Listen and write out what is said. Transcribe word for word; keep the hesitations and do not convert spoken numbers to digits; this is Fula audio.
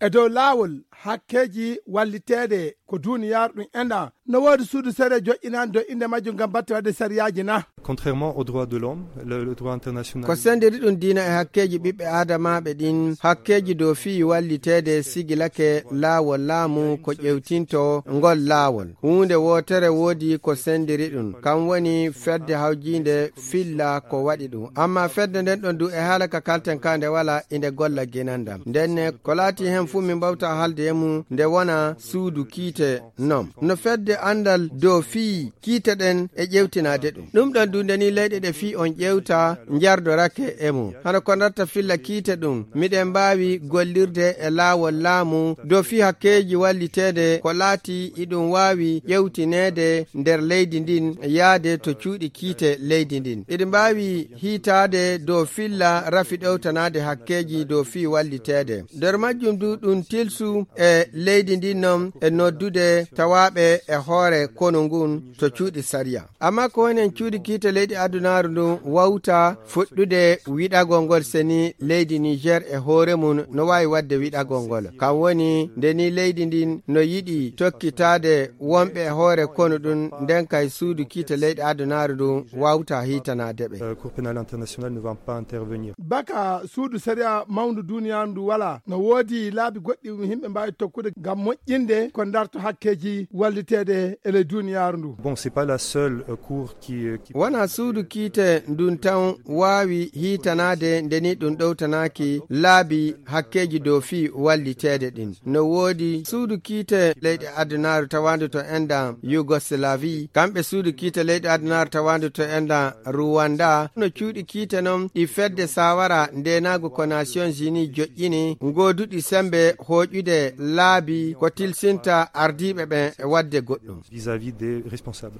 E dow laawol hakkeeji walliteede ko duuniyaaru ɗum enɗan, no woodi suudu sariya joƴƴinaande dow innde majjum ngam batte waɗde sariyaaji na? Contrairement aux droits de l'homme, le, le droit international. Ko sendiri ɗum diina e hakkeeji ɓiɓɓe aadamaaɓe ɗin, hakkeeji dow fii walliteede sigilake laawol laamu ko ƴewtinto ngol laawol. Huunde wootere woodi ko sendiri ɗum, kam woni fedde hawjiinde filla ko waɗi ɗum. Amma fedde nden ɗon du e haala ka kalten ka nde wala inde golla ginandam. Ndenne ko laati hen fuu min mbawta haalde e mum nde wona suudu kiite non. No fedde andal dow fii kiite ɗen e ƴewtinaade ɗum. Ɗum ɗon du nde ni leyɗe ɗe fii on ƴewta njardorake e mum. Hano ko ndatta filla kiite ɗum, miɗen mbaawi gollirde e laawol laamu dow fii hakkeeji walliteede ko laati iɗum waawi ƴewtineede nder leydi ndin yaade to cuuɗi kiite leydi ndin. Iɗi mbaawi hiitaade dow filla rafi ɗowtanaade hakkeeji dow fii walliteede. Nder majjum du ɗum tilsu e leydi ndin non e noddude tawaaɓe e hoore konu ngun to cuuɗi sariya. Amma ko woni en cuuɗi kiite leyɗe adunaaru ndun wawta fuɗɗude wiɗagol ngol seni leydi Niger e hoore mum no waawi waɗde wiɗagol ngol. Kam woni nde ni leydi ndin no yiɗi tokkitaade wonɓe e hoore konu ɗum, nden kay suudu kiite leyɗe adunaaru ndun wawta hiitanaade ɓe. Euh, Cour pénale internationale ne va pas intervenir. Baka suudu sariya mawndu duuniyaaru ndu wala, no woodi laabi goɗɗi ɗum yimɓe mbaawi tokkude ngam moƴƴinde ko darto hakkeeji walliteede e ley duuniyaaru ndu. Bon, c'est pas la seule, euh, cour qui, euh, qui Wona suudu kiite ndun tan waawi hiitanaade nde ni ɗum ɗowtanaaki laabi hakkeeji dow fii walliteede ɗin. No woodi suudu kiite leyɗe adunaaru tawaandu to enɗan Yougoslavie, kamɓe suudu kiite leyɗe adunaaru tawaandu to enɗan Rwanda, no cuuɗi kiite non ɗi fedde sawara ndeenaagu ko Nations Unies joƴƴini, gooduɗi sembe hooƴude laabi ko tilsinta ardiiɓe ɓen e waɗde goɗɗum. Vis-à-vis des responsables.